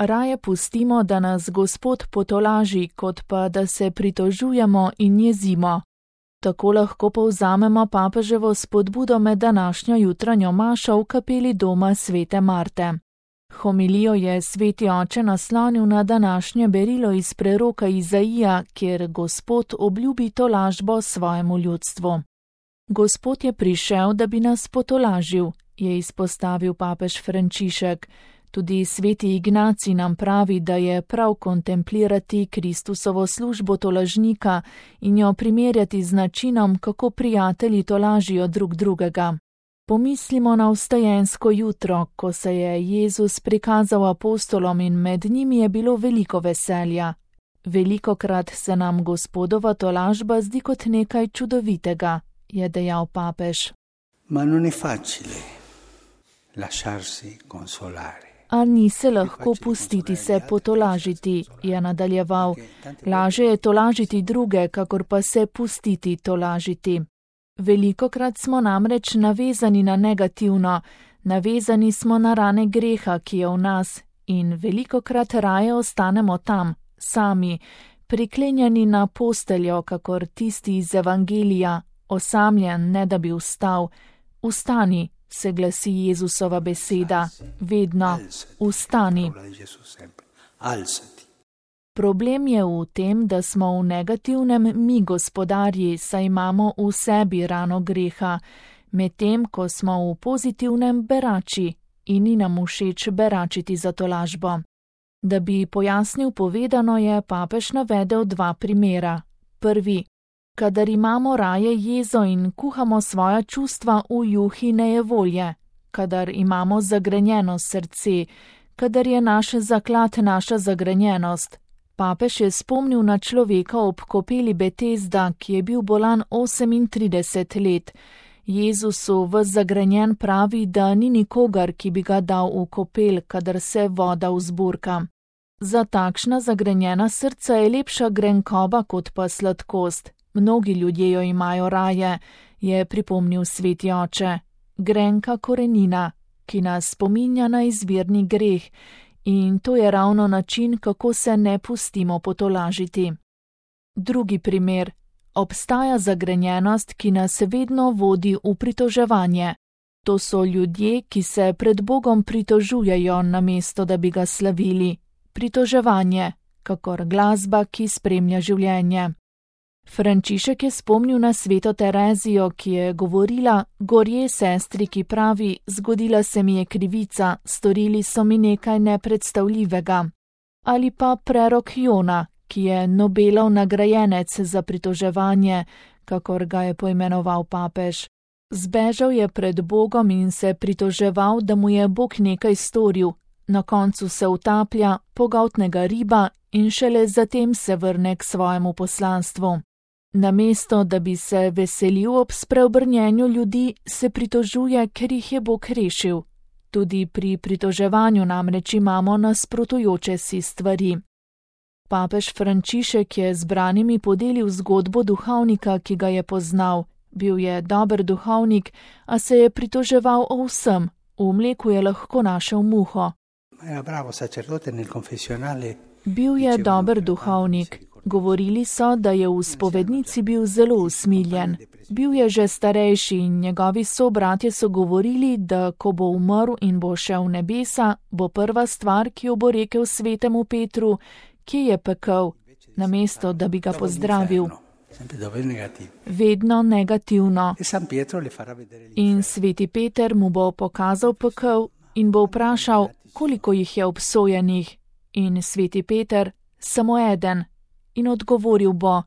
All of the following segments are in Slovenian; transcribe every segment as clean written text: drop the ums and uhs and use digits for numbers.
Raje pustimo, da nas Gospod potolaži, kot pa da se pritožujemo in jezimo. Tako lahko povzamemo papeževo spodbudo med današnjo jutranjo mašo v kapeli doma svete Marte. Homilijo je sveti oče naslonil na današnje berilo iz preroka Izaija, kjer Gospod obljubi tolažbo svojemu ljudstvu. Gospod je prišel, da bi nas potolažil, je izpostavil papež Frančišek. Tudi sveti Ignacij nam pravi, da je prav kontemplirati Kristusovo službo tolažnika in jo primerjati z načinom, kako prijatelji tolažijo drug drugega. Pomislimo na vstajensko jutro, ko se je Jezus prikazal apostolom in med njimi je bilo veliko veselja. Velikokrat se nam Gospodova tolažba zdi kot nekaj čudovitega, je dejal papež. Ma non è facile lasciarsi consolare. A ni se lahko pustiti se potolažiti, je nadaljeval. Laže je tolažiti druge, kakor pa se pustiti tolažiti. Velikokrat smo namreč navezani na negativno, navezani smo na rane greha, ki je v nas, in velikokrat raje ostanemo tam, sami, priklenjeni na posteljo, kakor tisti iz Evangelija, osamljen, ne da bi vstal. Vstani, se glasi Jezusova beseda, vedno, vstani. Problem je v tem, da smo v negativnem mi gospodarji, saj imamo v sebi rano greha, medtem ko smo v pozitivnem berači in ni nam všeč beračiti za tolažbo. Da bi pojasnil povedano, je papež navedel dva primera. Prvi, kadar imamo raje jezo in kuhamo svoja čustva v juhi nejevolje, kadar imamo zagrenjeno srce, kadar je naš zaklad naša zagrenjenost. Papež je spomnil na človeka ob kopeli Betesda, ki je bil bolan 38 let. Jezusu v zagrenjen pravi, da ni nikogar, ki bi ga dal v kopel, kadar se voda vzburka. Za takšna zagrenjena srca je lepša grenkoba kot pa sladkost. Mnogi ljudje jo imajo raje, je pripomnil sveti oče. Grenka korenina, ki nas spominja na izvirni greh, in to je ravno način, kako se ne pustimo potolažiti. Drugi primer. Obstaja zagrenjenost, ki nas vedno vodi v pritoževanje. To so ljudje, ki se pred Bogom pritožujejo, namesto da bi ga slavili. Pritoževanje, kakor glasba, ki spremlja življenje. Frančišek je spomnil na sveto Terezijo, ki je govorila: gorje sestri, ki pravi, zgodila se mi je krivica, storili so mi nekaj nepredstavljivega. Ali pa prerok Jona, ki je Nobelov nagrajenec za pritoževanje, kakor ga je poimenoval papež. Zbežal je pred Bogom in se pritoževal, da mu je Bog nekaj storil, na koncu se utaplja, pogoltnega riba in šele zatem se vrne k svojemu poslanstvu. Namesto, da bi se veselil ob spreobrnjenju ljudi, se pritožuje, ker jih je Bog rešil. Tudi pri pritoževanju namreč imamo nasprotujoče si stvari. Papež Frančišek je zbranimi podelil zgodbo duhovnika, ki ga je poznal. Bil je dober duhovnik, a se je pritoževal o vsem. V mleku je lahko našel muho. Bil je dober duhovnik. Govorili so, da je v spovednici bil zelo usmiljen. Bil je že starejši in njegovi sobratje so govorili, da ko bo umrl in bo šel v nebesa, bo prva stvar, ki jo bo rekel svetemu Petru: kje je pekel, namesto da bi ga pozdravil. Vedno negativno. In sveti Peter mu bo pokazal pekel in bo vprašal, koliko jih je obsojenih. In sveti Peter: samo eden. In odgovoril bo: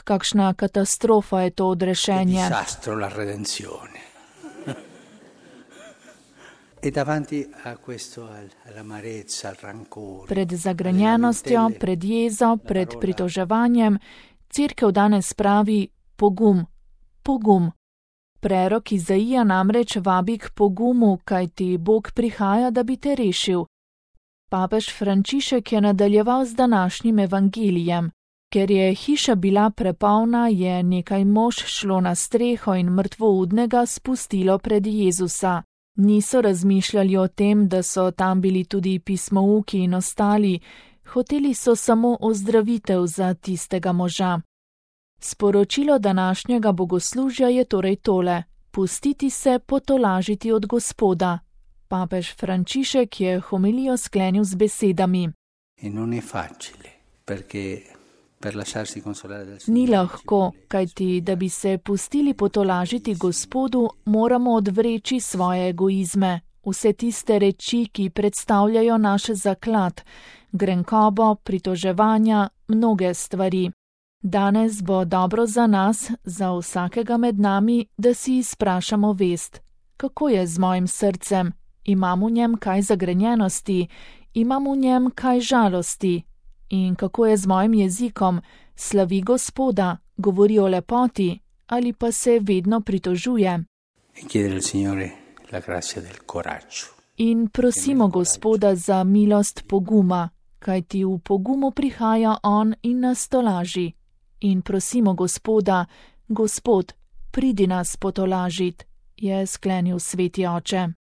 kakšna katastrofa je to odrešenje. Pred zagrenjenostjo, pred jezo, pred pritoževanjem, Cerkev danes pravi: pogum, pogum. Prerok Izaija namreč vabi k pogumu, kajti Bog prihaja, da bi te rešil. Papež Frančišek je nadaljeval z današnjim evangelijem. Ker je hiša bila prepolna, je nekaj mož šlo na streho in mrtvoudnega spustilo pred Jezusa. Niso razmišljali o tem, da so tam bili tudi pismouki in ostali, hoteli so samo ozdravitev za tistega moža. Sporočilo današnjega bogoslužja je torej tole: pustiti se potolažiti od Gospoda. Papež Frančišek je homilijo sklenil z besedami: Ni lahko, kajti da bi se pustili potolažiti Gospodu, moramo odvreči svoje egoizme, vse tiste reči, ki predstavljajo naš zaklad, grenkobo, pritoževanja, mnoge stvari. Danes bo dobro za nas, za vsakega med nami, da si izprašamo vest. Kako je z mojim srcem? Imam v njem kaj zagrenjenosti? Imam v njem kaj žalosti? In kako je z mojim jezikom? Slavi Gospoda, govori o lepoti ali pa se vedno pritožuje? In prosimo Gospoda za milost poguma, kajti v pogumu prihaja on in nas tolaži. In prosimo Gospoda: Gospod, pridi nas potolažit, je sklenil sveti oče.